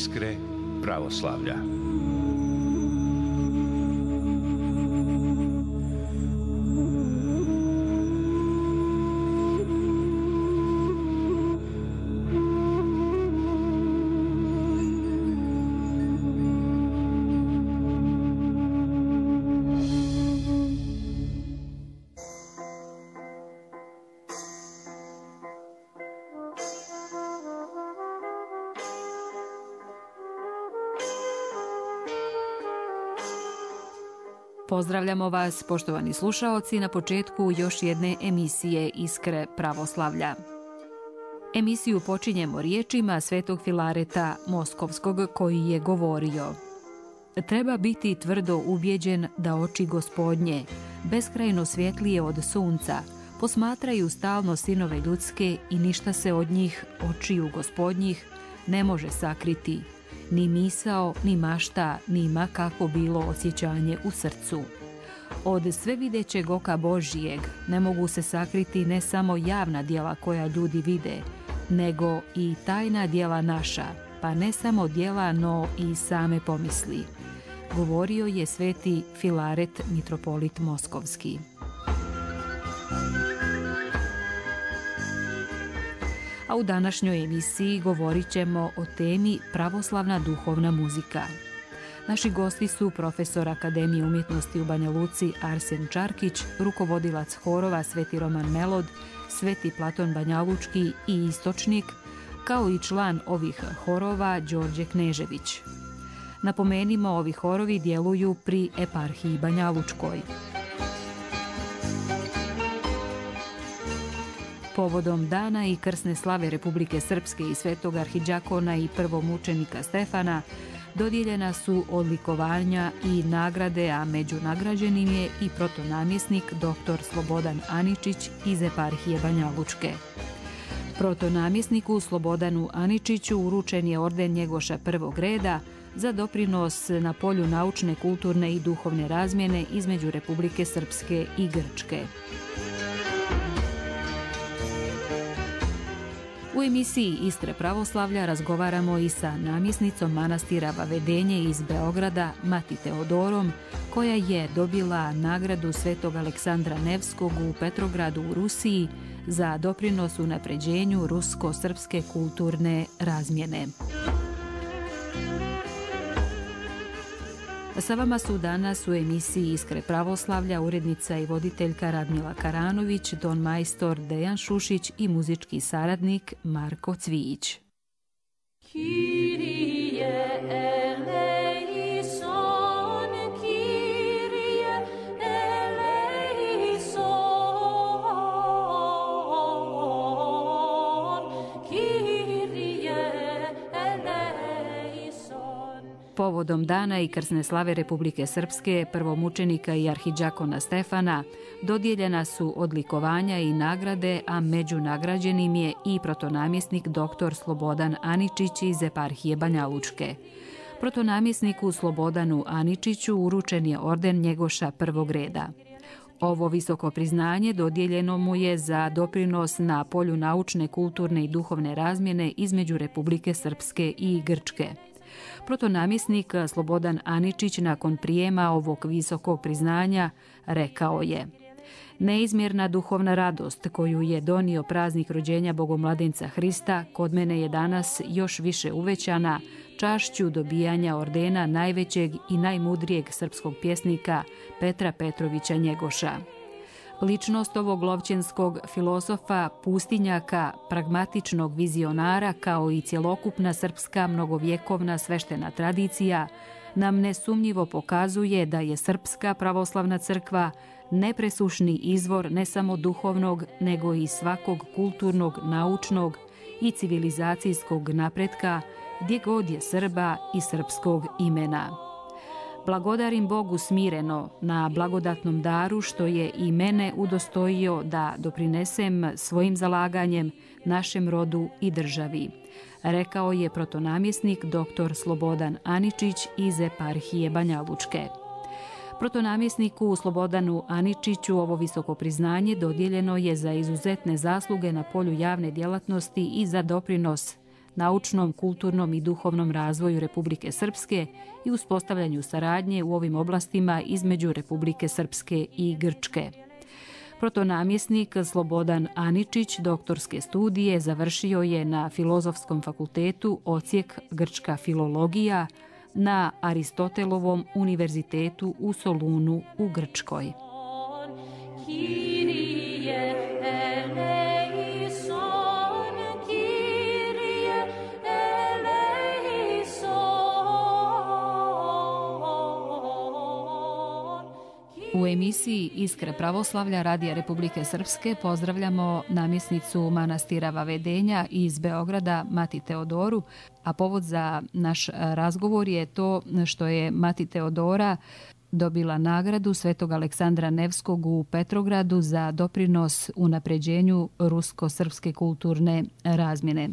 Iskre pravoslavlja. Pozdravljamo vas, poštovani slušaoci, na početku još jedne emisije Iskre pravoslavlja. Emisiju počinjemo riječima svetog Filareta Moskovskog koji je govorio: treba biti tvrdo ubjeđen da oči Gospodnje, beskrajno svjetlije od sunca, posmatraju stalno sinove ljudske i ništa se od njih, očiju Gospodnjih, ne može sakriti. Ni misao, ni mašta, ni ma kako bilo osjećanje u srcu. Od svevidećeg oka Božijeg ne mogu se sakriti ne samo javna djela koja ljudi vide, nego i tajna djela naša, pa ne samo djela, no i same pomisli. Govorio je sveti Filaret, mitropolit Moskovski. A u današnjoj emisiji govorit ćemo o temi pravoslavna duhovna muzika. Naši gosti su profesor Akademije umjetnosti u Banja Luci Arsen Čarkić, rukovodilac horova Sveti Roman Melod, Sveti Platon Banjalučki i Istočnik, kao i član ovih horova Đorđe Knežević. Napomenimo, ovi horovi djeluju pri eparhiji Banjalučkoj. Povodom dana i krsne slave Republike Srpske i svetog arhidžakona i prvomučenika Stefana dodijeljena su odlikovanja i nagrade, a među nagrađenim je i protonamjesnik dr. Slobodan Aničić iz eparhije Banjalučke. Protonamjesniku Slobodanu Aničiću uručen je orden Njegoša prvog reda za doprinos na polju naučne, kulturne i duhovne razmjene između Republike Srpske i Grčke. U emisiji Iskre pravoslavlja razgovaramo i sa namjesnicom manastira Vavedenje iz Beograda, Mati Teodorom, koja je dobila nagradu svetog Aleksandra Nevskog u Petrogradu u Rusiji za doprinos unapređenju rusko-srpske kulturne razmjene. Sa vama su danas u emisiji Iskre pravoslavlja urednica i voditeljka Radmila Karanović, ton majstor Dejan Šušić i muzički saradnik Marko Cvijić. Povodom dana i krsne slave Republike Srpske, prvomučenika i arhidžakona Stefana, dodijeljena su odlikovanja i nagrade, a među nagrađenim je i protonamjesnik dr. Slobodan Aničić iz eparhije Banjalučke. Protonamjesniku Slobodanu Aničiću uručen je orden Njegoša prvog reda. Ovo visoko priznanje dodijeljeno mu je za doprinos na polju naučne, kulturne i duhovne razmjene između Republike Srpske i Grčke. Protonamjesnik Slobodan Aničić nakon prijema ovog visokog priznanja rekao je: neizmjerna duhovna radost koju je donio praznik rođenja Bogomladenca Hrista kod mene je danas još više uvećana čašću dobijanja ordena najvećeg i najmudrijeg srpskog pjesnika Petra Petrovića Njegoša. Ličnost ovog lovćenskog filozofa, pustinjaka, pragmatičnog vizionara kao i cjelokupna srpska mnogovjekovna sveštena tradicija nam nesumnjivo pokazuje da je Srpska pravoslavna crkva nepresušni izvor ne samo duhovnog, nego i svakog kulturnog, naučnog i civilizacijskog napretka gdje god je Srba i srpskog imena. Blagodarim Bogu smireno na blagodatnom daru što je i mene udostojio da doprinesem svojim zalaganjem našem rodu i državi, rekao je protonamjesnik dr. Slobodan Aničić iz eparhije Banjalučke. Protonamjesniku Slobodanu Aničiću ovo visoko priznanje dodijeljeno je za izuzetne zasluge na polju javne djelatnosti i za doprinos naučnom, kulturnom i duhovnom razvoju Republike Srpske i uspostavljanju saradnje u ovim oblastima između Republike Srpske i Grčke. Protonamjesnik Slobodan Aničić doktorske studije završio je na Filozofskom fakultetu odsjek Grčka filologija na Aristotelovom univerzitetu u Solunu u Grčkoj. U emisiji Iskra pravoslavlja Radija Republike Srpske pozdravljamo namjesnicu manastira Vavedenja iz Beograda, Mati Teodoru, a povod za naš razgovor je to što je Mati Teodora dobila nagradu Svetog Aleksandra Nevskog u Petrogradu za doprinos unapređenju rusko-srpske kulturne razmjene.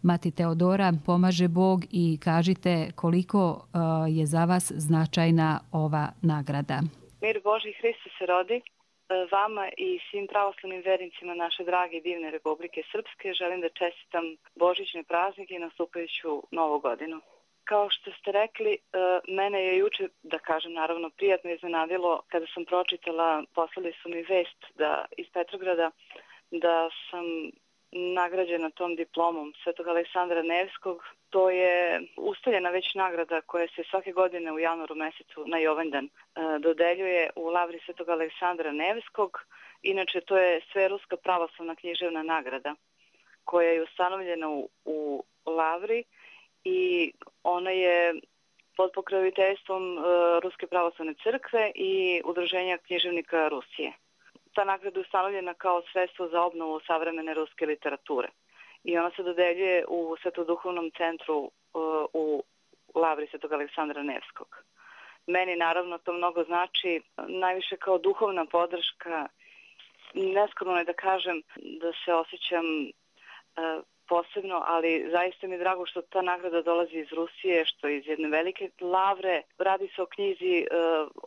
Mati Teodora, pomaže Bog i kažite koliko je za vas značajna ova nagrada. Mir Božji, Hristo se rodi. Vama i svim pravoslavnim vernicima naše drage i divne Republike Srpske želim da čestitam božićne praznike i nastupajuću novu godinu. Kao što ste rekli, mene je juče, da kažem naravno, prijatno iznenadilo kada sam pročitala, poslali su mi vest iz Petrograda da sam nagrađena tom diplomom Svetog Aleksandra Nevskog. To je ustaljena već nagrada koja se svake godine u januaru mesecu na Jovanjdan dodeljuje u Lavri Svetog Aleksandra Nevskog. Inače, to je Sveruska pravoslavna književna nagrada koja je ustanovljena u Lavri i ona je pod pokroviteljstvom Ruske pravoslavne crkve i Udruženja književnika Rusije. Ta nagrada je ustanovljena kao sredstvo za obnovu savremene ruske literature i ona se dodeljuje u Svetoduhovnom centru u Lavri Svetog Aleksandra Nevskog. Meni naravno to mnogo znači, najviše kao duhovna podrška. Neskromno je da kažem da se osjećam posebno, ali zaista mi je drago što ta nagrada dolazi iz Rusije, što iz jedne velike lavre. Radi se o knjizi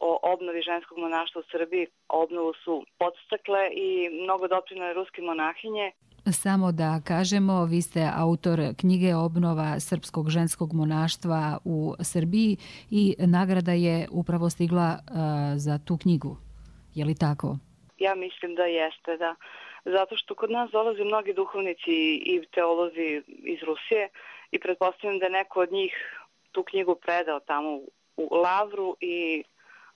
o obnovi ženskog monaštva u Srbiji. Obnovu su podstakle i mnogo doprinele ruske monahinje. Samo da kažemo, vi ste autor knjige Obnova srpskog ženskog monaštva u Srbiji i nagrada je upravo stigla za tu knjigu. Je li tako? Ja mislim da jeste, da. Zato što kod nas dolaze mnogi duhovnici i teolozi iz Rusije i pretpostavljam da je neko od njih tu knjigu predao tamo u Lavru i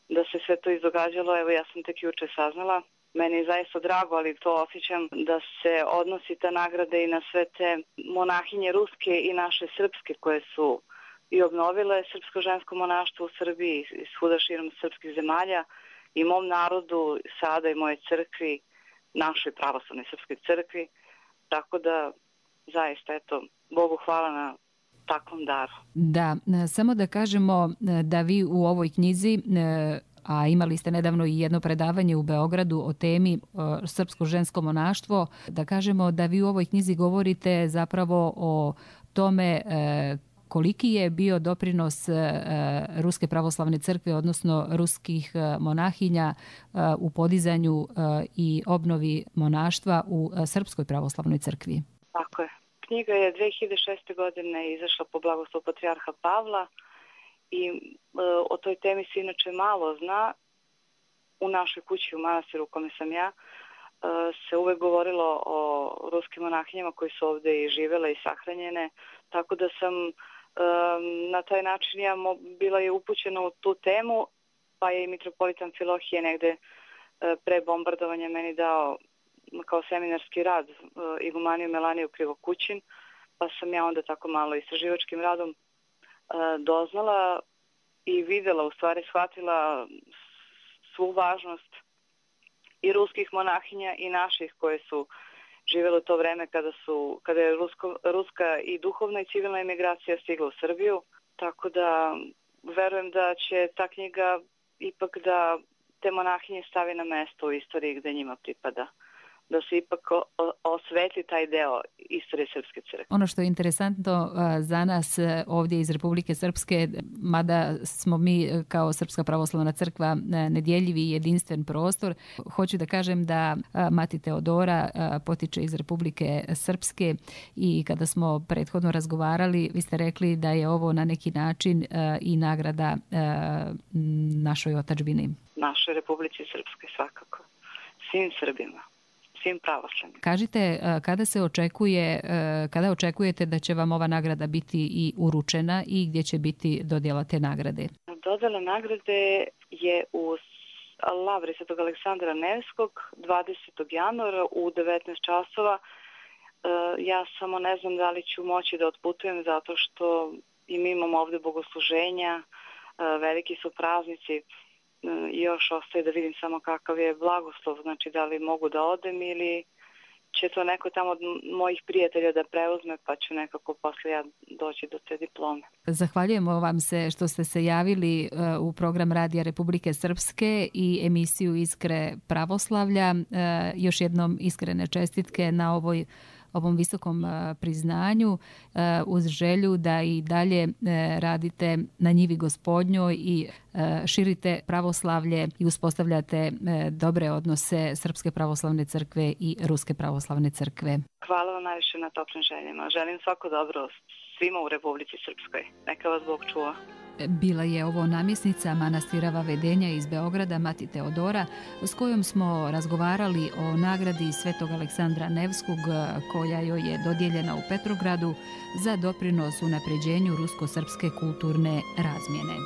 da se sve to izdogađalo. Evo, ja sam tek juče saznala. Meni je zaista drago, ali to osjećam da se odnosi ta nagrada i na sve te monahinje ruske i naše srpske koje su i obnovile srpsko žensko monaštvo u Srbiji i svuda širom srpskih zemalja i mom narodu sada i moje crkvi, našoj pravoslavnoj srpskoj crkvi. Tako da zaista, eto, Bogu hvala na takvom daru. Da, samo da kažemo da vi u ovoj knjizi, a imali ste nedavno i jedno predavanje u Beogradu o temi srpsko žensko monaštvo, da kažemo da vi u ovoj knjizi govorite zapravo o tome koliki je bio doprinos Ruske pravoslavne crkve, odnosno ruskih monahinja u podizanju i obnovi monaštva u Srpskoj pravoslavnoj crkvi. Tako je. Knjiga je 2006. godine izašla po blagoslovu patrijarha Pavla i o toj temi se inače malo zna. U našoj kući u manastiru u kome sam ja se uvek govorilo o ruskim monahinjama koji su ovde i živele i sahranjene, tako da sam na taj način ja bila je upućena u tu temu, pa je i mitropolita Amfilohije negde pre bombardovanja meni dao kao seminarski rad igumaniju Melaniju Krivokućin, pa sam ja onda tako malo istraživačkim radom doznala i videla, u stvari shvatila svu važnost i ruskih monahinja i naših koje su živjeli u to vreme kada je ruska i duhovna i civilna emigracija stigla u Srbiju. Tako da verujem da će ta knjiga ipak da te monahinje stavi na mesto u istoriji gde njima pripada. da se ipak osvetli taj deo istorije Srpske crkve. Ono što je interesantno za nas ovdje iz Republike Srpske, mada smo mi kao Srpska pravoslavna crkva nedjeljivi i jedinstven prostor, hoću da kažem da Mati Teodora potiče iz Republike Srpske i kada smo prethodno razgovarali, vi ste rekli da je ovo na neki način i nagrada našoj otadžbini. Našoj Republici Srpske svakako. Svim Srbima. Svim pravoslavnim. Kažite, kada očekujete da će vam ova nagrada biti i uručena i gdje će biti dodjela te nagrade? Dodjela nagrade je u Lavri Svetog Aleksandra Nevskog 20. januara u 19 časova. Ja samo ne znam da li ću moći da otputujem zato što i mi imamo ovdje bogosluženja, veliki su praznici. Još ostaje da vidim samo kakav je blagoslov, znači da li mogu da odem ili će to neko tamo od mojih prijatelja da preuzme, pa ću nekako posle ja doći do te diplome. Zahvaljujemo vam se što ste se javili u program Radija Republike Srpske i emisiju Iskre pravoslavlja. Još jednom iskrene čestitke na ovom visokom priznanju, uz želju da i dalje radite na njivi Gospodnjoj i širite pravoslavlje i uspostavljate dobre odnose Srpske pravoslavne crkve i Ruske pravoslavne crkve. Hvala vam najviše na toplim željama. Želim svako dobro svima u Republici Srpskoj. Neka vas Bog čuva. Bila je ovo namjesnica manastira Vavedenja iz Beograda, Mati Teodora, s kojom smo razgovarali o nagradi Svetog Aleksandra Nevskog koja joj je dodijeljena u Petrogradu za doprinos unapređenju rusko-srpske kulturne razmjene.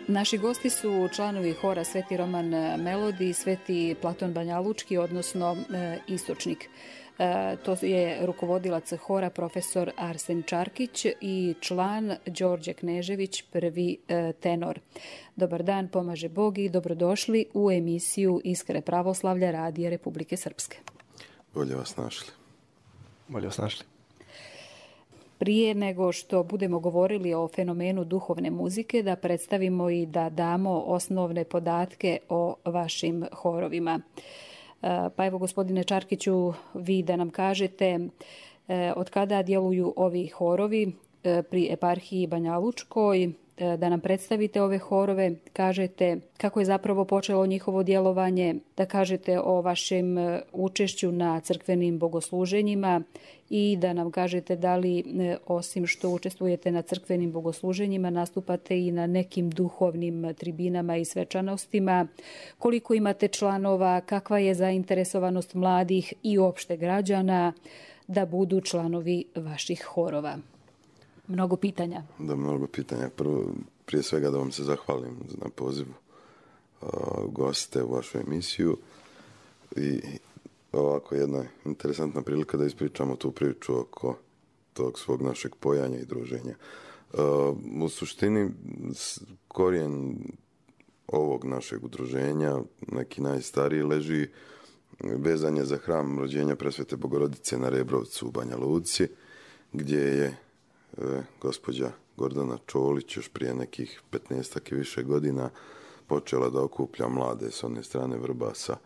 Naši gosti su članovi hora Sveti Roman Melodi i Sveti Platon Banjalučki, odnosno Istočnik. To je rukovodilac hora profesor Arsen Čarkić i član Đorđe Knežević, prvi tenor. Dobar dan, pomaže Bog i dobrodošli u emisiju Iskre pravoslavlja Radija Republike Srpske. Bolje vas našli. Bolje vas našli. Prije nego što budemo govorili o fenomenu duhovne muzike, da predstavimo i da damo osnovne podatke o vašim horovima. Pa evo, gospodine Čarkiću, vi da nam kažete od kada djeluju ovi horovi pri eparhiji Banjalučkoj, da nam predstavite ove horove, kažete kako je zapravo počelo njihovo djelovanje, da kažete o vašem učešću na crkvenim bogosluženjima i da nam kažete da li, osim što učestvujete na crkvenim bogosluženjima, nastupate i na nekim duhovnim tribinama i svečanostima, koliko imate članova, kakva je zainteresovanost mladih i opšte građana da budu članovi vaših horova. Mnogo pitanja. Da, mnogo pitanja. Prije svega da vam se zahvalim na pozivu goste u vašu emisiju i ovako jedna interesantna prilika da ispričamo tu priču oko tog svog našeg pojanja i druženja. U suštini korijen ovog našeg udruženja, neki najstariji, leži vezan je za hram rođenja Presvete Bogorodice na Rebrovcu u Banja Luci, gdje je gospođa Gordana Čolić još prije nekih 15 i više godina počela da okuplja mlade s one strane Vrbasa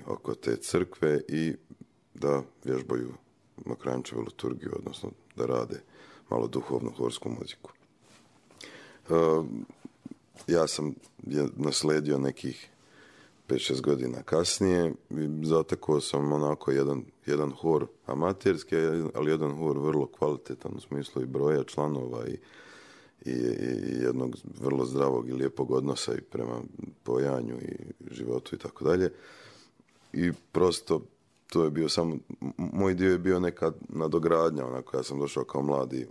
oko te crkve i da vježbaju Mokranjčevu liturgiju, odnosno da rade malo duhovnu horsku muziku. Ja sam nasledio nekih 5-6 godina kasnije i zatekao sam onako jedan hor amaterski, ali jedan hor vrlo kvalitetan u smislu i broja članova i jednog vrlo zdravog i lijepog odnosa i prema pojanju i životu i tako dalje. I prosto to je bio samo, moj dio je bio neka nadogradnja, onako ja sam došao kao mladi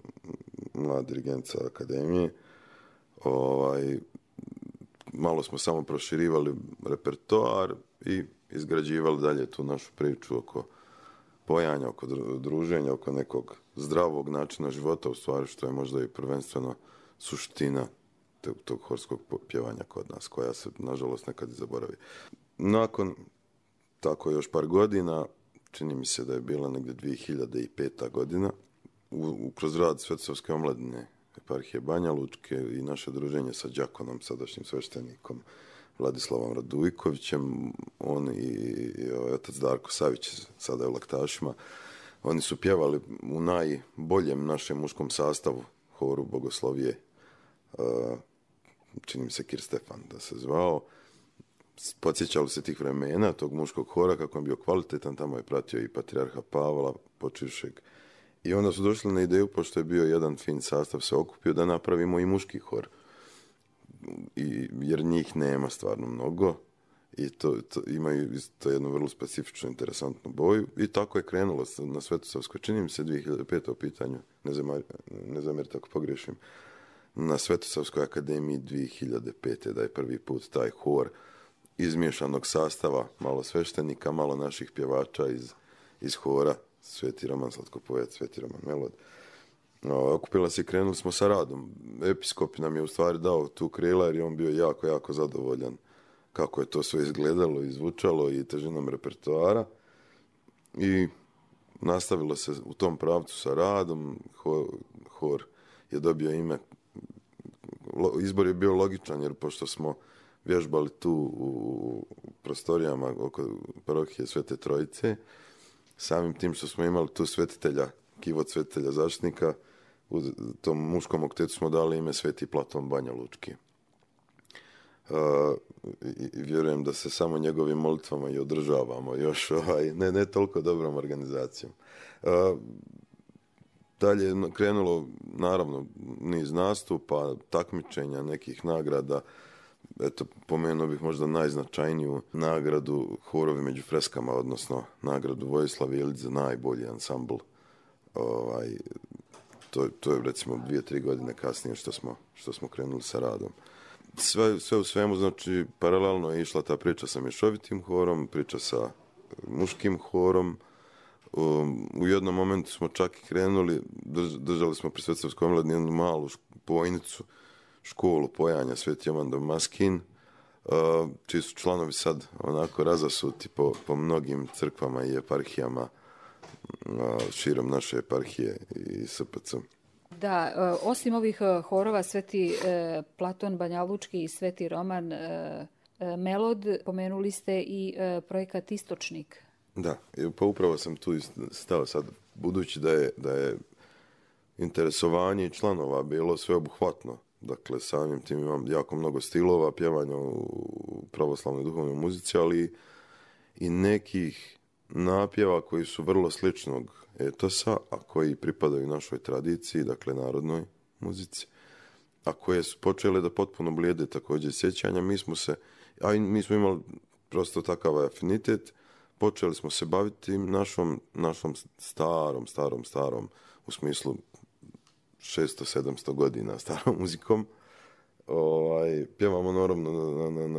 dirigent sa akademije, malo smo samo proširivali repertoar i izgrađivali dalje tu našu priču oko pojanja, oko druženja, oko nekog zdravog načina života, u stvari što je možda i prvenstveno suština tog horskog pjevanja kod nas, koja se nažalost nekad i zaboravi. Nakon tako još par godina, čini mi se da je bila negdje 2005. godina, kroz rad Svetosavske omladine eparhije Banja Lučke i naše druženje sa đakonom, sadašnjim sveštenikom Vladislavom Radujkovićem, on i otac Darko Savić, sada je u Laktašima, oni su pjevali u najboljem našem muškom sastavu horu Bogoslovije, čini mi se Kir Stefan da se zvao. Podsjećali se tih vremena, tog muškog hora, kako je bio kvalitetan, tamo je pratio i patrijarha Pavla počivšeg. I onda su došli na ideju, pošto je bio jedan fin sastav se okupio, da napravimo i muški hor. Jer njih nema stvarno mnogo i to imaju isto jednu vrlo specifičnu, interesantnu boju. I tako je krenulo na Svetosavskoj, čini mi se 2005. u pitanju, ne zamjerite ako pogriješim, na Svetosavskoj akademiji 2005. da je prvi put taj hor izmiješanog sastava, malo sveštenika, malo naših pjevača iz hora, Sveti Roman Slatkopojac, Sveti Roman Melod. Okupila se i krenuli smo sa radom. Episkop nam je u stvari dao tu krila jer je on bio jako, jako zadovoljan kako je to sve izgledalo i zvučalo i težinom repertoara. I nastavilo se u tom pravcu sa radom. Hor je dobio ime. Izbor je bio logičan jer pošto smo vježbali tu u prostorijama oko parohije Svete Trojice, samim tim što smo imali tu svetitelja, kivot svetitelja zaštitnika, u tom muškom oktetu smo dali ime Sveti Platon Banja Lučki. I vjerujem da se samo njegovim molitvama i održavamo još ne toliko dobrom organizacijom. Dalje je krenulo, naravno, niz nastupa, takmičenja, nekih nagrada. Eto, pomenuo bih možda najznačajniju nagradu Horovi među freskama, odnosno nagradu Vojislav Jelić za najbolji ansambl. To je recimo 2-3 godine kasnije što smo krenuli sa radom. Sve u svemu, znači, paralelno je išla ta priča sa mješovitim horom, priča sa muškim horom. U jednom momentu smo čak i krenuli, držali smo pri Svetosavskoj omladini jednu malu pojnicu, školu pojanja Sveti Jovan Damaskin, čiji su članovi sad onako razasuti po mnogim crkvama i eparhijama širom naše eparhije i SPC. Da, osim ovih horova Sveti Platon Banjalučki i Sveti Roman, Melod, pomenuli ste i projekat Istočnik. Da, pa upravo sam tu stao sad, budući da je interesovanje članova bilo sveobuhvatno. Dakle, samim tim imam jako mnogo stilova pjevanja u pravoslavnoj duhovnoj muzici, ali i nekih napjeva koji su vrlo sličnog etosa, a koji pripadaju našoj tradiciji, dakle narodnoj muzici, a koje su počele da potpuno blijede također sjećanja. Mi smo imali prosto takav afinitet, počeli smo se baviti našom starom, u smislu 600-700 godina starom muzikom. Pjevamo naravno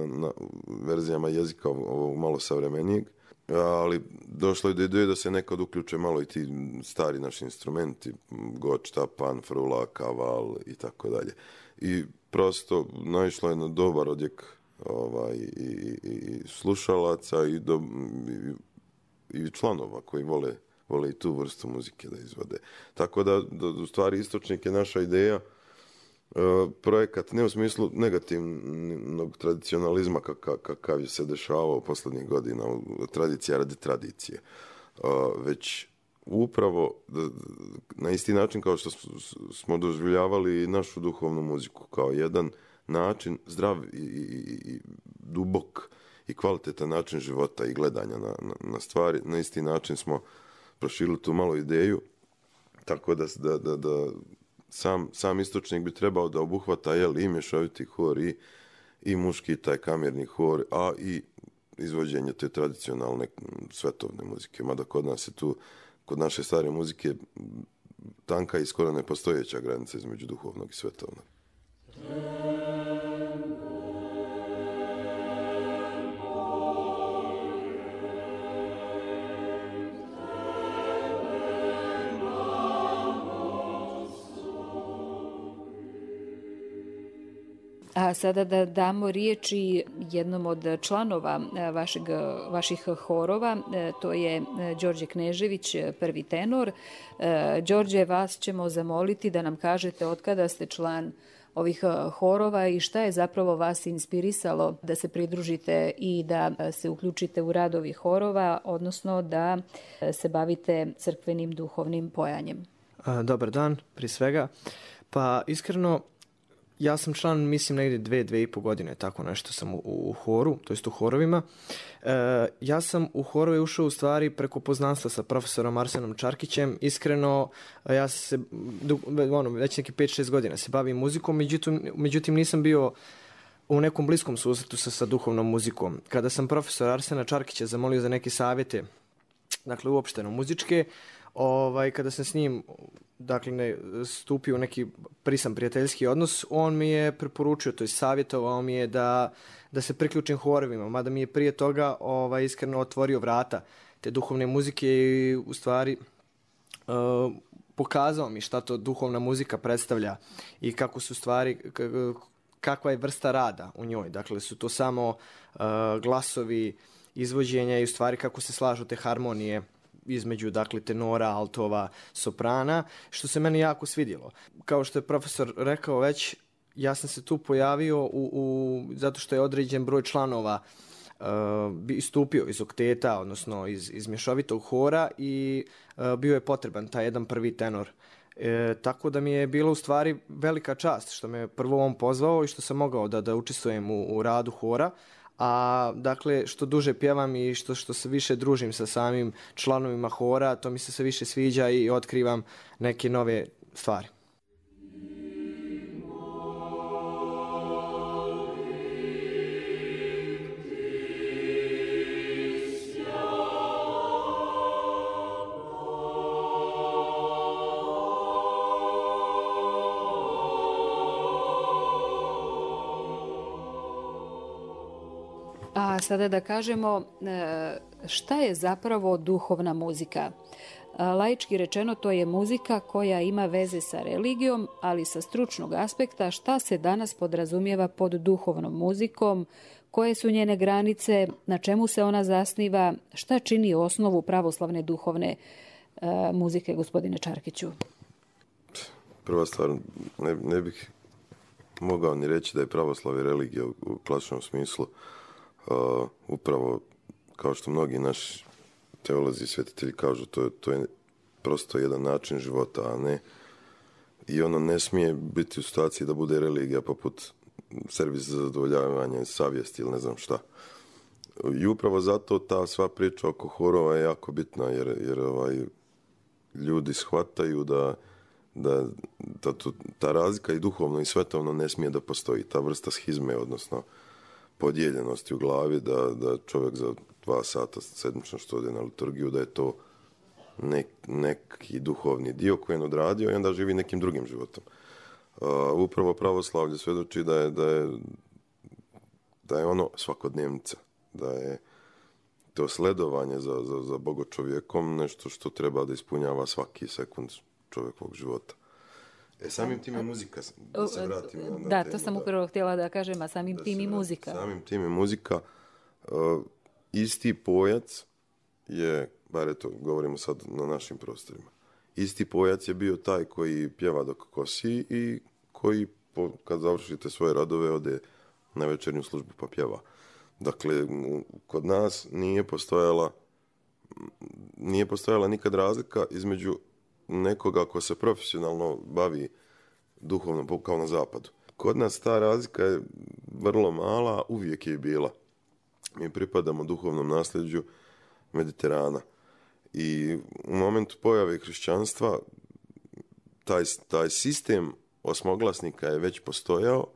na verzijama jezika ovog malo savremenijeg, ali došlo je do ideje da se nekad uključe malo i ti stari naši instrumenti, gočta, pan, frula, kaval i tako dalje. I prosto naišlo je na dobar odjek i slušalaca i članova koji vole i tu vrstu muzike da izvode. Tako da u stvari Istočnik je naša ideja, projekat ne u smislu negativnog tradicionalizma kakav je se dešavao posljednjih godina, tradicija radi tradicije, već upravo na isti način kao što smo doživljavali našu duhovnu muziku, kao jedan način zdrav i dubok i kvalitetan način života i gledanja na stvari. Na isti način smo proširili tu malu ideju, tako da sam Istočnik bi trebao da obuhvata i mješoviti hor i muški taj kamerni hor, a i izvođenje te tradicionalne svetovne muzike. Mada kod nas je tu, kod naše stare muzike, tanka i skoro nepostojeća granica između duhovnog i svetovnog. A sada da damo riječi jednom od članova vaših horova, to je Đorđe Knežević, prvi tenor. Đorđe, vas ćemo zamoliti da nam kažete od kada ste član ovih horova i šta je zapravo vas inspirisalo da se pridružite i da se uključite u rad ovih horova, odnosno da se bavite crkvenim duhovnim pojanjem. Dobar dan, prije svega. Pa iskreno, ja sam član, mislim, negdje 2,5 godine, tako nešto sam u horu, to jest u horovima. Ja sam u horove ušao u stvari preko poznanstva sa profesorom Arsenom Čarkićem. Iskreno, ja se već neki 5-6 godina se bavim muzikom, međutim nisam bio u nekom bliskom susretu sa duhovnom muzikom. Kada sam profesor Arsena Čarkića zamolio za neke savjete, dakle uopšteno muzičke, kada sam s njim stupio u neki prisan prijateljski odnos, on mi je preporučio, to je savjetovao mi je da se priključim horovima, mada mi je prije toga iskreno otvorio vrata te duhovne muzike i u stvari pokazao mi šta to duhovna muzika predstavlja i kako su stvari, kakva je vrsta rada u njoj. Dakle, su to samo glasovi, izvođenja i u stvari kako se slažu te harmonije između, dakle, tenora, altova, soprana, što se meni jako svidjelo. Kao što je profesor rekao već, ja sam se tu pojavio zato što je određen broj članova istupio iz okteta, odnosno iz mješovitog hora i bio je potreban taj jedan prvi tenor. Tako da mi je bilo u stvari velika čast što me prvo on pozvao i što sam mogao da učestvujem u radu hora. A dakle, što duže pjevam i što se više družim sa samim članovima hora, to mi se sve više sviđa i otkrivam neke nove stvari. A sada da kažemo šta je zapravo duhovna muzika. Laički rečeno, to je muzika koja ima veze sa religijom, ali sa stručnog aspekta šta se danas podrazumijeva pod duhovnom muzikom, koje su njene granice, na čemu se ona zasniva, šta čini osnovu pravoslavne duhovne muzike, gospodine Čarkiću? Prva stvar, ne bih mogao ni reći da je pravoslavlje religija u klasičnom smislu, Upravo kao što mnogi naši teolozi i svetitelji kažu, to je prosto jedan način života, a ne i ono ne smije biti u situaciji da bude religija poput servis za zadovoljavanje savjesti ili ne znam šta. I upravo zato ta sva priča oko horova je jako bitna, jer ljudi shvataju ta razlika i duhovno i svetovno ne smije da postoji. Ta vrsta schizme, odnosno podijeljenosti u glavi, da čovjek za 2 sata sedmično što ode na liturgiju, da je to neki duhovni dio koji je odradio i onda živi nekim drugim životom. Upravo pravoslavlje svjedoči da je ono svakodnevnica, da je to sledovanje za bogočovjekom nešto što treba da ispunjava svaki sekund čovjekovog života. Samim tim je muzika, da se vratim na temu. Da, to sam upravo htjela da kažem, a samim tim i muzika. Samim tim je muzika. Isti pojac je, bar eto, govorimo sad na našim prostorima, isti pojac je bio taj koji pjeva dok kosi i koji, kad završite svoje radove, ode na večernju službu pa pjeva. Dakle, kod nas nije postojala nikad razlika između nekoga ko se profesionalno bavi duhovno, kao na zapadu. Kod nas ta razlika je vrlo mala, uvijek je bila. Mi pripadamo duhovnom nasljeđu Mediterana. I u momentu pojave hrišćanstva taj sistem osmoglasnika je već postojao.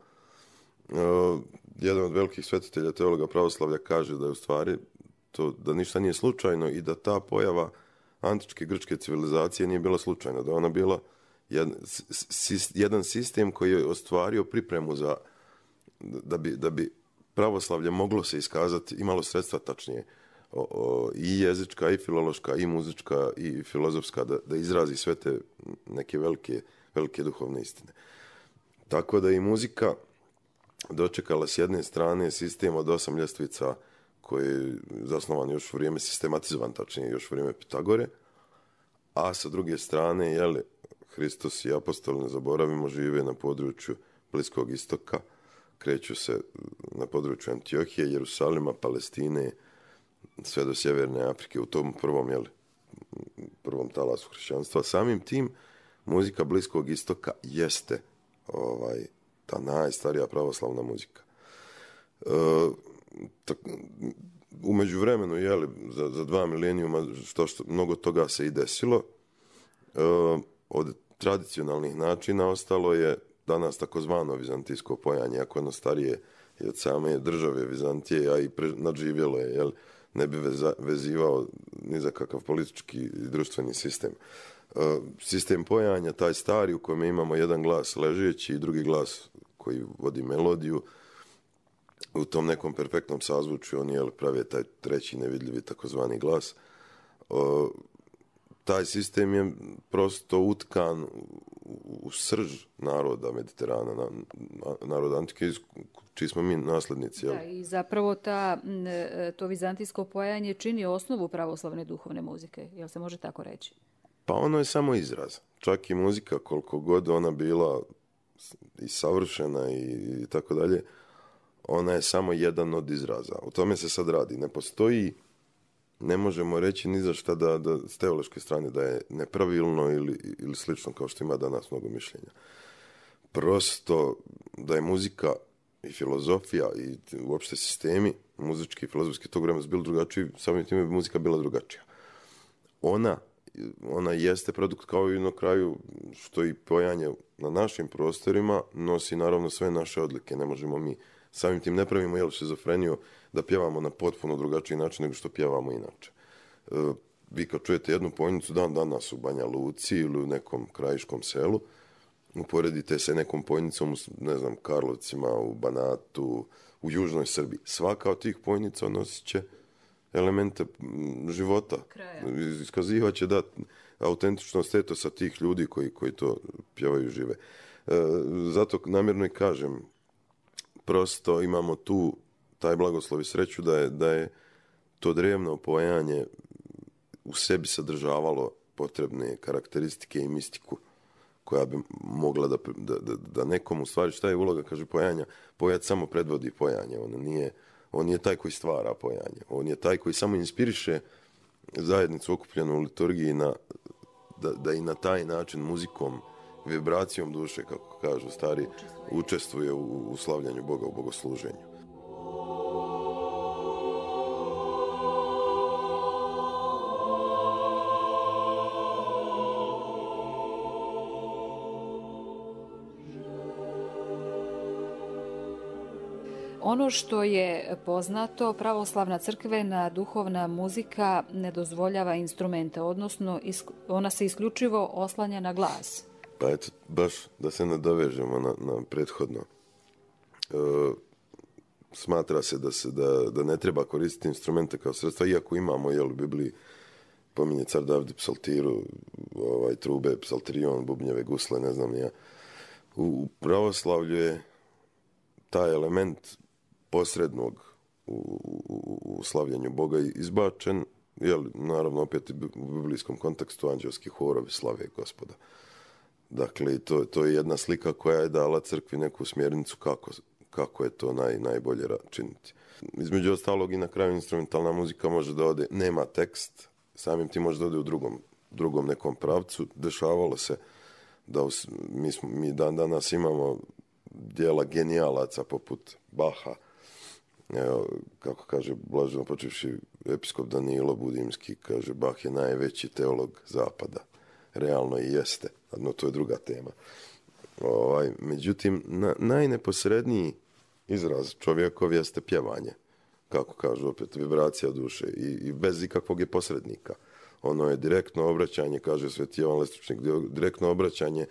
Jedan od velikih svetitelja teologa pravoslavlja kaže da je u stvari da ništa nije slučajno i da ta pojava antičke grčke civilizacije nije bila slučajna, da je ona bila jedan sistem koji je ostvario pripremu za da bi pravoslavlje moglo se iskazati, imalo sredstva tačnije i jezička, i filološka, i muzička, i filozofska, da izrazi sve te neke velike duhovne istine. Tako da i muzika dočekala s jedne strane sistem od 8 ljestvica koji je zasnovan još u vrijeme, sistematizovan tačnije još u vrijeme Pitagore, a sa druge strane, Hristos i apostoli, ne zaboravimo, žive na području Bliskog istoka, kreću se području Antiohije, Jerusalima, Palestine, sve do Sjeverne Afrike, u tom prvom talasu hrišćanstva. Samim tim, muzika Bliskog istoka jeste ta najstarija pravoslavna muzika. U međuvremenu, za 2 milenijuma, što mnogo toga se i desilo. Od tradicionalnih načina ostalo je danas takozvano vizantijsko pojanje, ako ono starije i od same države Vizantije, a i nadživjelo je, ne bi vezivao ni za kakav politički i društveni sistem. Sistem pojanja, taj stari u kojem imamo jedan glas ležeći i drugi glas koji vodi melodiju, u tom nekom perfektnom sazvučju oni prave taj treći nevidljivi takozvani glas. Taj sistem je prosto utkan u srž naroda Mediterana, naroda antike, čiji smo mi naslednici. Da, i zapravo to vizantijsko pojanje čini osnovu pravoslavne duhovne muzike, jel se može tako reći? Pa ono je samo izraz. Čak i muzika, koliko god ona bila i savršena i tako dalje, ona je samo jedan od izraza. O tome se sad radi. Ne postoji, ne možemo reći ni za šta da s teološke strane da je nepravilno ili slično kao što ima danas mnogo mišljenja. Prosto da je muzika i filozofija i uopšte sistemi muzički i filozofski tog vremena su bili drugačiji, samim time bi muzika bila drugačija. Ona jeste produkt, kao i na kraju što i pojanje na našim prostorima nosi naravno sve naše odlike. Ne možemo mi samim tim ne pravimo šizofreniju da pjevamo na potpuno drugačiji način nego što pjevamo inače. Vi kad čujete jednu pojnicu dan danas u Banja Luci ili u nekom krajiškom selu, uporedite se nekom pojnicom u, ne znam, Karlovcima, u Banatu, u južnoj Srbiji. Svaka od tih pojnica nosit će elemente života. Iskazivat će autentičnost etosa tih ljudi koji to pjevaju i žive. Zato namjerno i kažem, prosto imamo tu taj blagoslov i sreću da je to drevno pojanje u sebi sadržavalo potrebne karakteristike i mistiku koja bi mogla da nekom, u stvari, šta je uloga, kaže, pojanja? Pojac samo predvodi pojanje, On je taj koji stvara pojanje. On je taj koji samo inspiriše zajednicu okupljenu u liturgiji da i na taj način muzikom, vibracijom duše, kako kažu stari, učestvuje u slavljanju Boga, u bogosluženju. Ono što je poznato, pravoslavna crkvena duhovna muzika ne dozvoljava instrumente, odnosno ona se isključivo oslanja na glas. Pa eto, baš da se nadovežemo na prethodno. Smatra se da ne treba koristiti instrumente kao sredstva, iako imamo, u Bibliji pominje car David psaltiru, trube, psalterion, bubnjeve, gusle, ne znam ja. U pravoslavlju je taj element posrednog u slavljanju Boga izbačen, naravno opet u biblijskom kontekstu anđelski horovi slave Gospoda. Dakle, to je jedna slika koja je dala crkvi neku smjernicu kako je to najbolje činiti. Između ostalog i na kraju instrumentalna muzika može da ode, nema tekst, samim tim može da ode u drugom nekom pravcu. Dešavalo se da mi dan danas imamo dijela genijalaca poput Baha, kako kaže blaženo počevši episkop Danilo Budimski, kaže Bach je najveći teolog zapada. Realno i jeste, no to je druga tema. Međutim, najneposredniji izraz čovjekov jeste pjevanje, kako kažu opet, vibracija duše i bez ikakvog je posrednika. Ono je direktno obraćanje, kaže Sveti Jovan Lestručnik, direktno obraćanje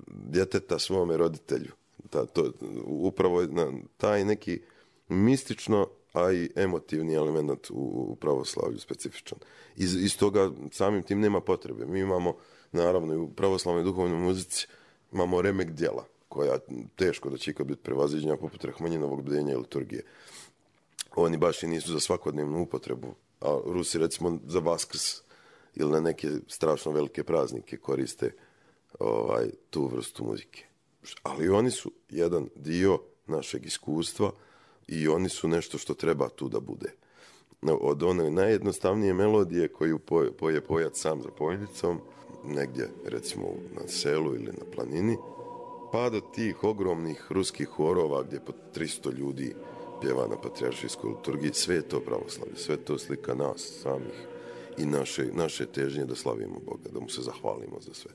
djeteta svome roditelju. Upravo je taj neki mistično, a i emotivni element u pravoslavlju specifičan. Iz toga samim tim nema potrebe. Mi imamo, naravno, i u pravoslavnoj duhovnoj muzici imamo remek djela, koja teško da će ikad biti prevaziđena, poput Rahmanjinovog bdenja i liturgije. Oni baš i nisu za svakodnevnu upotrebu, a Rusi recimo za Vaskrs ili na neke strašno velike praznike koriste tu vrstu muzike. Ali oni su jedan dio našeg iskustva i oni su nešto što treba tu da bude. Od one najjednostavnije melodije koju poje pojac sam za pojnicom, negdje recimo na selu ili na planini, pa do tih ogromnih ruskih horova gdje po 300 ljudi pjeva na patrijaršijskoj liturgiji, sve je to pravoslavlje, sve to slika nas samih i naše težnje da slavimo Boga, da mu se zahvalimo za sve.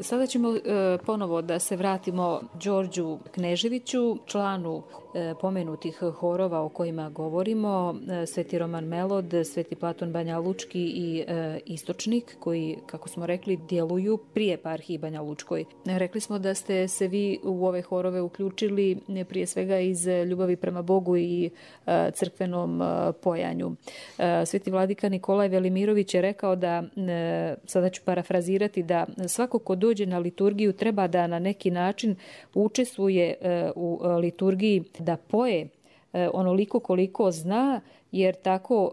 Sada ćemo ponovo da se vratimo Đorđu Kneževiću, članu pomenutih horova o kojima govorimo, Sveti Roman Melod, Sveti Platon Banja Lučki i Istočnik, koji, kako smo rekli, djeluju pri eparhiji Banja Lučkoj. Rekli smo da ste se vi u ove horove uključili prije svega iz ljubavi prema Bogu i crkvenom pojanju. Sveti vladika Nikolaj Velimirović je rekao da, sada ću parafrazirati, da svako ko dođe na liturgiju treba da na neki način učestvuje u liturgiji, da poje onoliko koliko zna, jer tako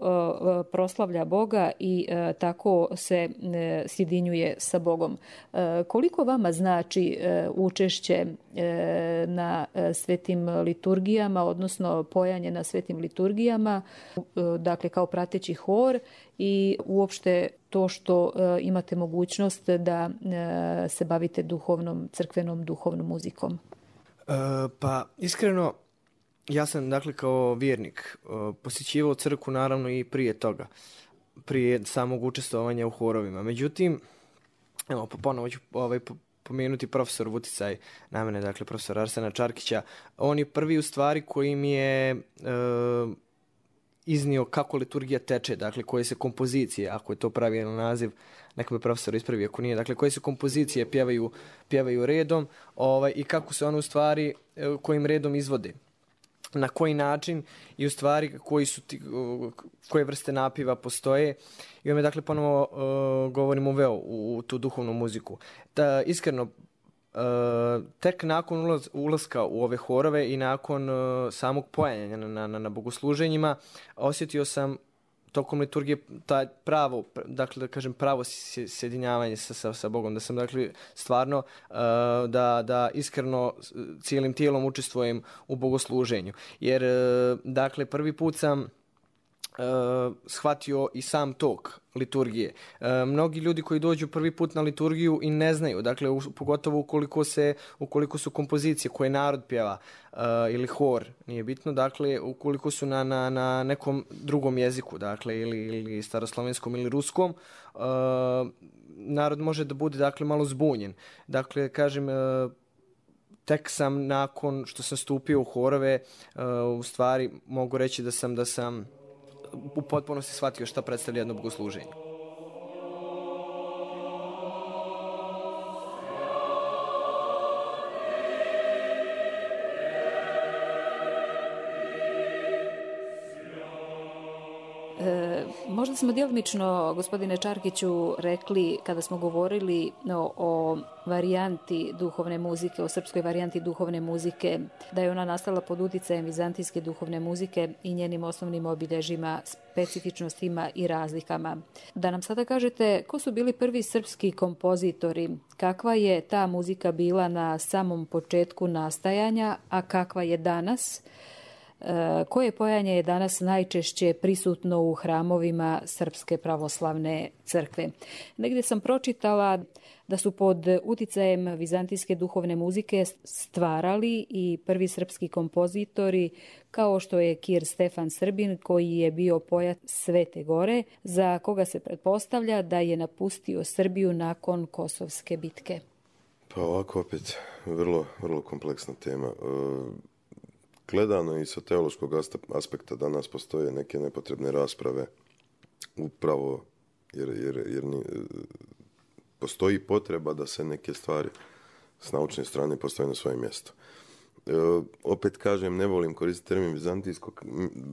proslavlja Boga i tako se sjedinjuje sa Bogom. Koliko vama znači učešće na svetim liturgijama, odnosno pojanje na svetim liturgijama, dakle kao prateći hor, i uopšte to što imate mogućnost da se bavite crkvenom duhovnom muzikom? Pa iskreno, ja sam dakle kao vjernik posjećivao crkvu naravno i prije toga, prije samog učestvovanja u horovima. Međutim, evo ponovo ću pomenuti profesor Vuticaj, na mene, dakle profesor Arsena Čarkića. On je prvi u stvari koji mi je iznio kako liturgija teče, dakle koje se kompozicije, ako je to pravilan naziv, neka me profesor ispravi ako nije, dakle koje se kompozicije pjevaju redom i kako se one u stvari kojim redom izvode. Na koji način i u stvari koje vrste napiva postoje. I ovdje dakle ponovo govorim uveo u tu duhovnu muziku. Iskreno, tek nakon ulaska u ove horove i nakon samog pojanja na bogosluženjima osjetio sam tokom liturgije taj pravo, dakle da kažem pravo sjedinjavanje sa Bogom, da sam dakle stvarno da iskreno cijelim tijelom učestvujem u bogosluženju. Jer dakle prvi put sam shvatio i sam tok liturgije. Mnogi ljudi koji dođu prvi put na liturgiju i ne znaju, dakle pogotovo ukoliko su kompozicije koje narod pjeva ili hor, nije bitno, dakle ukoliko su na nekom drugom jeziku, dakle ili staroslavenskom ili ruskom, narod može da bude dakle malo zbunjen. Dakle, kažem, tek sam nakon što sam stupio u horove, u stvari mogu reći da sam u potpunosti shvatio šta predstavlja jedno bogosluženje. Možda smo djelomično, gospodine Čarkiću, rekli kada smo govorili o varijanti duhovne muzike, o srpskoj varijanti duhovne muzike, da je ona nastala pod uticajem vizantijske duhovne muzike i njenim osnovnim obilježjima, specifičnostima i razlikama. Da nam sada kažete ko su bili prvi srpski kompozitori, kakva je ta muzika bila na samom početku nastajanja, a kakva je danas? Koje pojanje je danas najčešće prisutno u hramovima Srpske pravoslavne crkve? Negdje sam pročitala da su pod uticajem vizantijske duhovne muzike stvarali i prvi srpski kompozitori, kao što je Kir Stefan Srbin, koji je bio pojac Svete Gore, za koga se pretpostavlja da je napustio Srbiju nakon Kosovske bitke. Pa ovako opet vrlo, vrlo kompleksna tema. Gledano i sa teološkog aspekta danas postoje neke nepotrebne rasprave upravo jer postoji potreba da se neke stvari s naučne strane postave na svoje mjesto. Opet kažem, ne volim koristiti termin vizantijsko,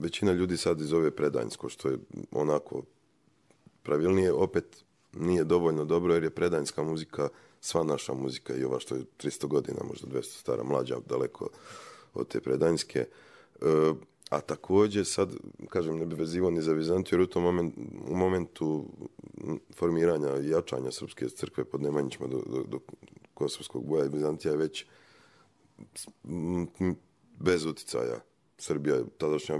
većina ljudi sad izove predanjsko, što je onako pravilnije, opet nije dovoljno dobro jer je predanjska muzika sva naša muzika i ova što je 300 godina, možda 200 stara, mlađa, daleko od te predanjske, a također sad, kažem, ne bi vezivao ni za Vizantiju, jer u momentu formiranja i jačanja Srpske crkve pod Nemanjićima do Kosovskog boja, Vizantija je već bez uticaja. Srbija je tadašnja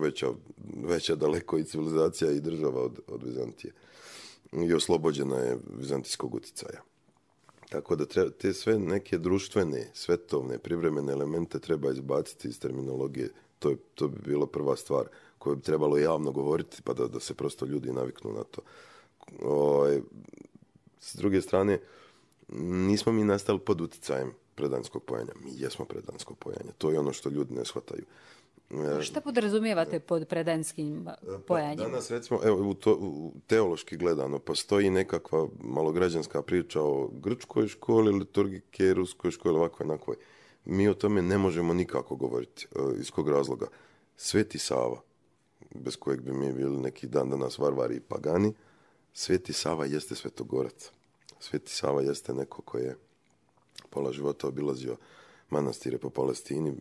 veća daleko i civilizacija i država od Vizantije. I oslobođena je vizantijskog uticaja. Tako da te sve neke društvene, svetovne, privremene elemente treba izbaciti iz terminologije. To bi bila prva stvar koju bi trebalo javno govoriti, pa da se prosto ljudi naviknu na to. S druge strane, nismo mi nastali pod uticajem predanjskog pojanja. Mi jesmo predanjsko pojanje. To je ono što ljudi ne shvataju. Šta podrazumijevate pod predanjskim pojanjem? Danas, recimo, teološki gledano, postoji nekakva malograđanska priča o grčkoj školi, liturgike, ruskoj školi, ovakvoj, onakvoj. Mi o tome ne možemo nikako govoriti. Iz kog razloga? Sveti Sava, bez kojeg bi mi bili neki dan danas varvari i pagani, Sveti Sava jeste svetogorac. Sveti Sava jeste neko ko je pola života obilazio manastire po Palestini,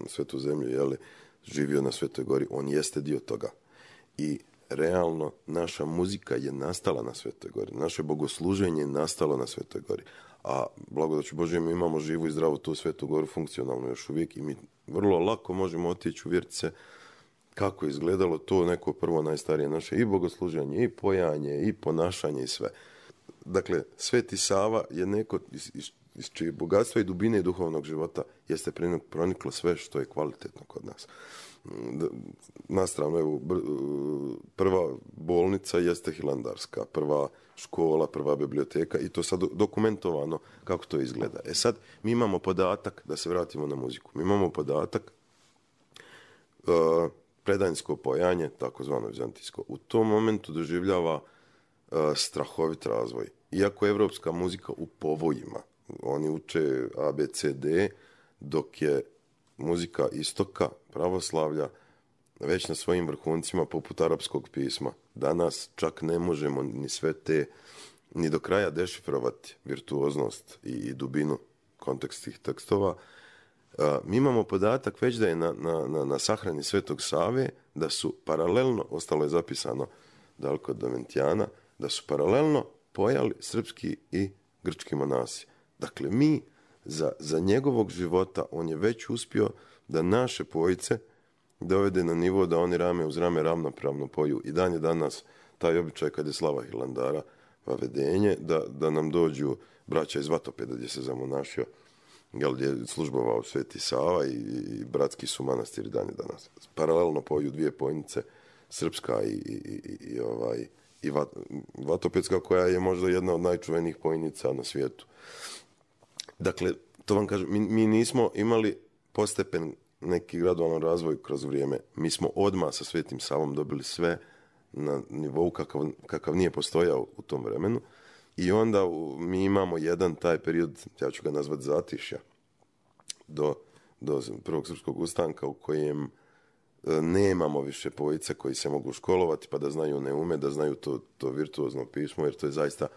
svetu zemlju, živio na Svetoj Gori, on jeste dio toga. I realno naša muzika je nastala na Svetoj Gori, naše bogosluženje je nastalo na Svetoj Gori, a blagodaću Božje mi imamo živu i zdravu tu Svetu Goru funkcionalno još uvijek i mi vrlo lako možemo otići uvjeriti se kako je izgledalo to neko prvo najstarije naše i bogosluženje, i pojanje, i ponašanje i sve. Dakle, Sveti Sava je neko iz čije bogatstva i dubine duhovnog života jeste proniklo sve što je kvalitetno kod nas. Nastavno, evo, prva bolnica jeste Hilandarska, prva škola, prva biblioteka i to sad dokumentovano kako to izgleda. Sad, mi imamo podatak, da se vratimo na muziku, mi imamo podatak predanjsko pojanje, takozvano vizantijsko, u tom momentu doživljava strahovit razvoj. Iako je evropska muzika u povojima, oni uče A, B, C, D, dok je muzika istoka, pravoslavlja, već na svojim vrhuncima poput arapskog pisma. Danas čak ne možemo ni sve te ni do kraja dešifrovati virtuoznost i dubinu kontekst tih tekstova. Mi imamo podatak već da je na sahrani Svetog Save da su paralelno, ostalo je zapisano daleko od Domentijana, da su paralelno pojali srpski i grčki monasi. Dakle, mi za njegovog života on je već uspio da naše pojice dovede na nivo da oni rame uz rame ravnopravno poju. I dan je danas taj običaj kad je slava Hilandara vavedenje, da nam dođu braća iz Vatopeda gdje se zamonašio, gdje je službovao Sveti Sava i bratski su manastiri dan je danas. Paralelno poju dvije pojnice, srpska i Vatopedska, koja je možda jedna od najčuvenijih pojnica na svijetu. Dakle, to vam kažem, mi nismo imali postepen neki gradualan razvoj kroz vrijeme. Mi smo odmah sa Svetim Savom dobili sve na nivou kakav nije postojao u tom vremenu. I onda mi imamo jedan taj period, ja ću ga nazvati zatišja, do prvog srpskog ustanka u kojem nemamo više pojice koji se mogu školovati pa da znaju neume, da znaju to virtuozno pismo, jer to je zaista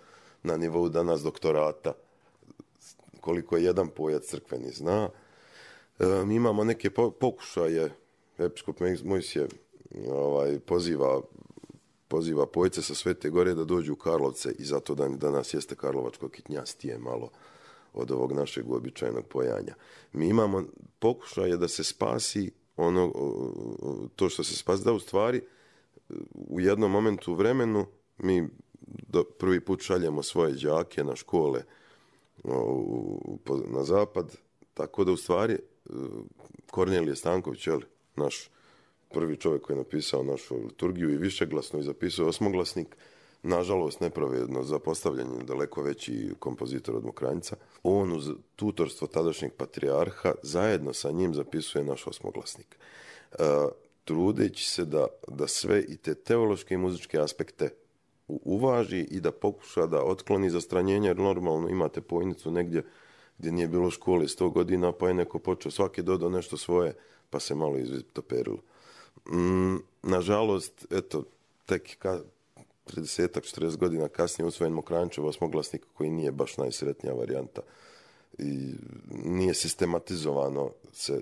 na nivou danas doktorata. Koliko je jedan pojac crkveni zna. Mi imamo neke pokušaje, episkop Mojsije poziva pojice sa Svete Gore da dođu u Karlovce i zato danas jeste karlovačko kitnjastije malo od ovog našeg uobičajenog pojanja. Mi imamo pokušaje da se spasi to što se spasi, da u stvari u jednom momentu u vremenu mi prvi put šaljemo svoje đake na škole na zapad, tako da u stvari Kornelije Stanković, naš prvi čovjek koji je napisao našu liturgiju i višeglasno i zapisao osmoglasnik, nažalost nepravedno zapostavljen, daleko veći kompozitor od Mokranjca. On uz tutorstvo tadašnjeg patrijarha zajedno sa njim zapisuje naš osmoglasnik. Trudeći se da sve i te teološke i muzičke aspekte uvaži i da pokuša da otkloni zastranjenje, jer normalno imate pojnicu negdje gdje nije bilo škole 100 godina, pa je neko počeo svaki dodao nešto svoje, pa se malo izvitoperilo. Nažalost, eto, tek 30-40 godina kasnije usvojen Mokranjčev osmoglasnik koji nije baš najsretnija varijanta. I nije sistematizovano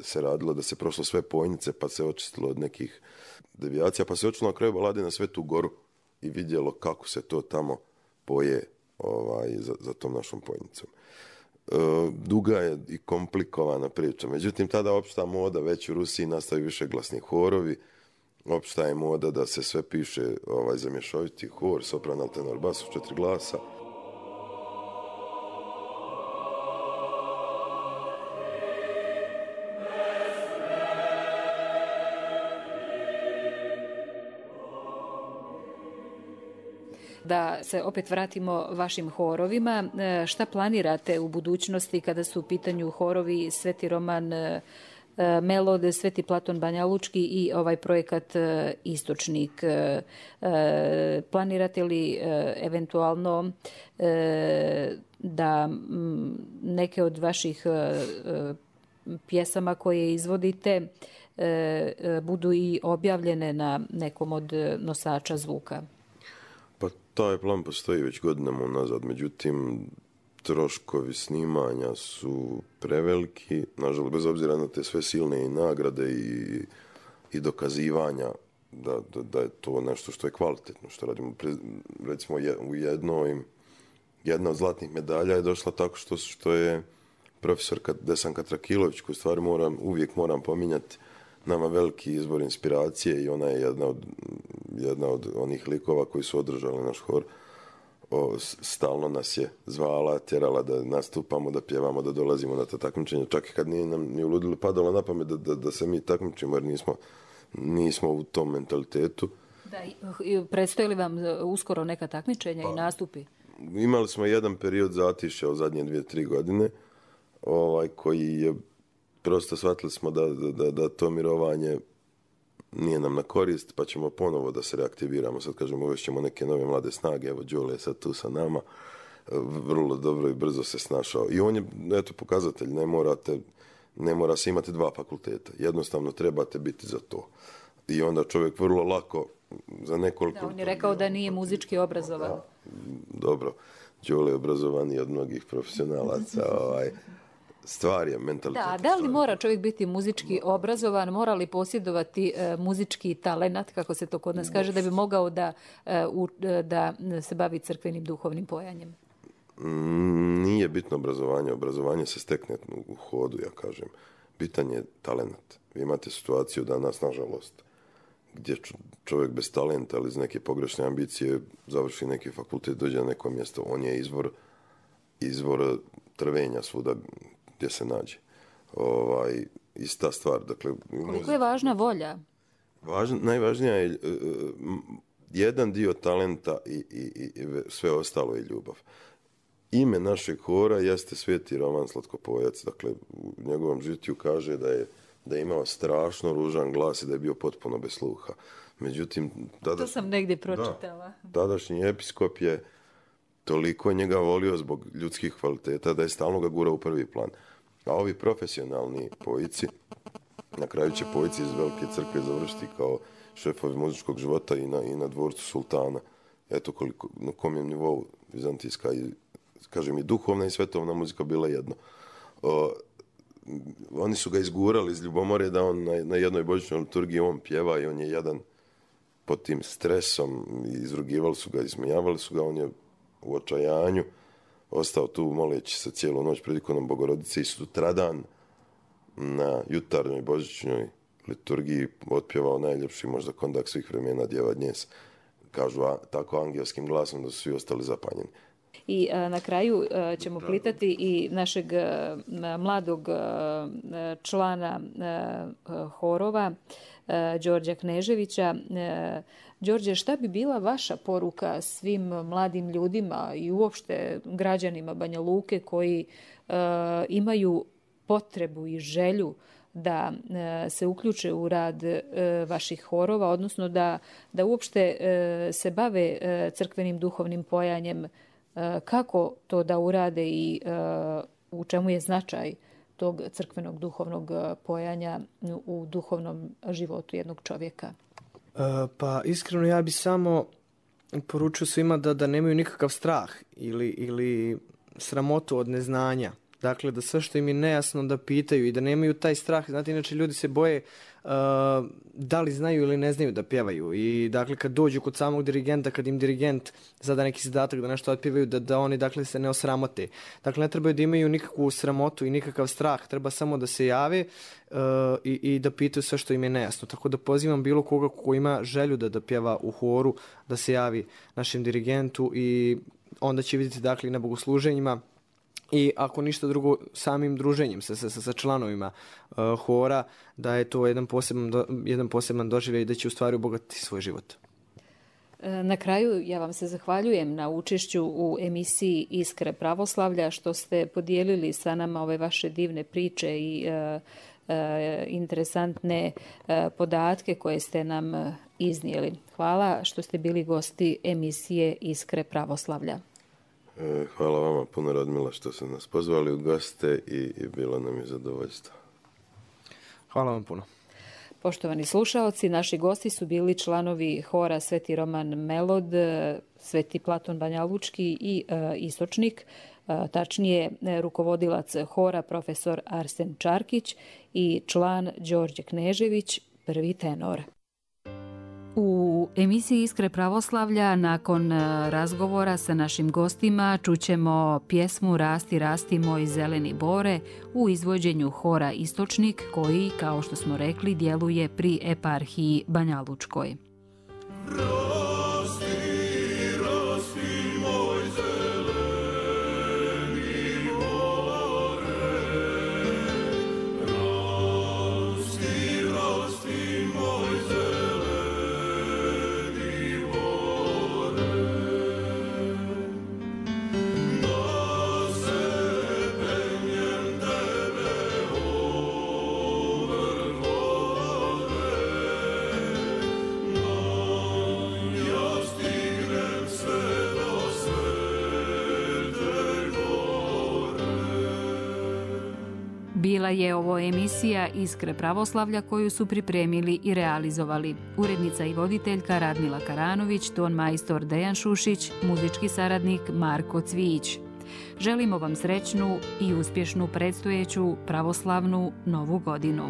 se radilo da se prošlo sve pojnice, pa se očistilo od nekih devijacija, pa se očilo na kraju balade na Svetu Goru i vidjelo kako se to tamo poje za tom našom pojnicom. Duga je i komplikovana priča. Međutim, tada opšta moda, već u Rusiji nastaju višeglasni horovi, opšta je moda da se sve piše za mješoviti hor, sopran, alt, tenor, bas u 4 glasa. Da se opet vratimo vašim horovima, šta planirate u budućnosti kada su u pitanju horovi Sveti Roman Melode, Sveti Platon Banjalučki i ovaj projekat Istočnik? Planirate li eventualno da neke od vaših pjesama koje izvodite budu i objavljene na nekom od nosača zvuka? Pa taj plan postoji već godinama unazad, međutim troškovi snimanja su preveliki, nažalost, bez obzira na te sve silne i nagrade i dokazivanja da je to nešto što je kvalitetno, što radimo. Recimo u jedna od zlatnih medalja je došla tako što je profesor Desanka Trakilović, koju stvari uvijek moram pominjati, nama veliki izbor inspiracije i ona je jedna od onih likova koji su održali naš hor. Stalno nas je zvala, tjerala da nastupamo, da pjevamo, da dolazimo na to takmičenje. Čak i kad nije nam ni u ludilu padalo na pamet da se mi takmičimo, jer nismo u tom mentalitetu. Da, predstoji li vam uskoro neka takmičenja i nastupi? Imali smo jedan period zatišća u zadnje 2-3 godine, koji je prosto shvatili smo da to mirovanje nije nam na korist, pa ćemo ponovo da se reaktiviramo. Sad kažemo, uvešćemo neke nove mlade snage, evo Đole je sad tu sa nama, vrlo dobro i brzo se snašao. I on je, pokazatelj, ne mora se imati 2 fakulteta. Jednostavno trebate biti za to. i onda čovjek vrlo lako za nekoliko... Da, on je rekao da nije muzički obrazovan. Da, dobro, Đole je obrazovaniji od mnogih profesionalaca. Stvar je mentalitet. Da li mora čovjek biti muzički obrazovan, mora li posjedovati muzički talenat, kako se to kod nas kaže, da bi mogao da se bavi crkvenim duhovnim pojanjem? Nije bitno obrazovanje. Obrazovanje se stekne u hodu, ja kažem. Bitan je talenat. Vi imate situaciju danas, nažalost, gdje čovjek bez talenta ili iz neke pogrešne ambicije završi neki fakultet, dođe na neko mjesto. On je izvor trvenja svuda gdje se nađe. Ista stvar. Dakle, koliko je važna volja? Najvažnija je jedan dio talenta i sve ostalo je ljubav. Ime našeg hora jeste Sveti Roman Slatkopojac. Dakle, u njegovom žitiju kaže da je imao strašno ružan glas i da je bio potpuno bez sluha. Međutim, to sam negdje pročitala. Tadašnji episkop je toliko njega volio zbog ljudskih kvaliteta da je stalno ga gurao u prvi plan. A ovi profesionalni pojici, na kraju će pojici iz Velike crkve završiti kao šefovi muzičkog života i na dvorcu sultana. Eto na kom je nivou vizantijska i, kažem, i duhovna i svetovna muzika bila jedno. Oni su ga izgurali iz ljubomore da on na jednoj božićnoj liturgiji on pjeva i on je jadan pod tim stresom, izrugivali su ga, ismijavali su ga, on je u očajanju ostao tu moleći se cijelu noć pred ikonom Bogorodice i sutradan na jutarnjoj božićnoj liturgiji otpjevao najljepši možda kondak svih vremena Djeva Dnjes. Kažu tako angelskim glasom da su svi ostali zapanjeni. I na kraju ćemo pitati i našeg mladog člana horova, Đorđa Kneževića. Đorđe, šta bi bila vaša poruka svim mladim ljudima i uopšte građanima Banja Luke koji imaju potrebu i želju da se uključe u rad vaših horova, odnosno da uopšte se bave crkvenim duhovnim pojanjem? Kako to da urade i u čemu je značaj tog crkvenog duhovnog pojanja u duhovnom životu jednog čovjeka? Pa iskreno ja bi samo poručio svima da nemaju nikakav strah ili sramotu od neznanja. Dakle, da sve što im je nejasno da pitaju i da nemaju taj strah. Znate, inače ljudi se boje da li znaju ili ne znaju da pjevaju. I dakle, kad dođu kod samog dirigenta, kad im dirigent zada neki zadatak da nešto otpjevaju, da oni dakle se ne osramote. Dakle, ne trebaju da imaju nikakvu sramotu i nikakav strah. Treba samo da se jave i da pitaju sve što im je nejasno. Tako da pozivam bilo koga ko ima želju da pjeva u horu, da se javi našem dirigentu i onda će vidjeti dakle na bogosluženjima i ako ništa drugo samim druženjem sa članovima hora, da je to jedan poseban doživljaj i da će u stvari obogatiti svoj život. Na kraju ja vam se zahvaljujem na učešću u emisiji Iskre pravoslavlja, što ste podijelili sa nama ove vaše divne priče i interesantne podatke koje ste nam iznijeli. Hvala što ste bili gosti emisije Iskre pravoslavlja. Hvala vama puno, Radmila, što ste nas pozvali u goste i bilo nam je zadovoljstvo. Hvala vam puno. Poštovani slušaoci, naši gosti su bili članovi hora Sveti Roman Melod, Sveti Platon Banjalučki i Istočnik, tačnije rukovodilac hora profesor Arsen Čarkić i član Đorđe Knežević, prvi tenor. U emisiji Iskre pravoslavlja nakon razgovora sa našim gostima čućemo pjesmu Rasti, rasti moj zeleni bore u izvođenju hora Istočnik koji, kao što smo rekli, djeluje pri eparhiji Banjalučkoj. Bila je ovo emisija Iskre pravoslavlja koju su pripremili i realizovali. Urednica i voditeljka Radmila Karanović, ton majstor Dejan Šušić, muzički saradnik Marko Cvijić. Želimo vam srećnu i uspješnu predstojeću pravoslavnu Novu godinu.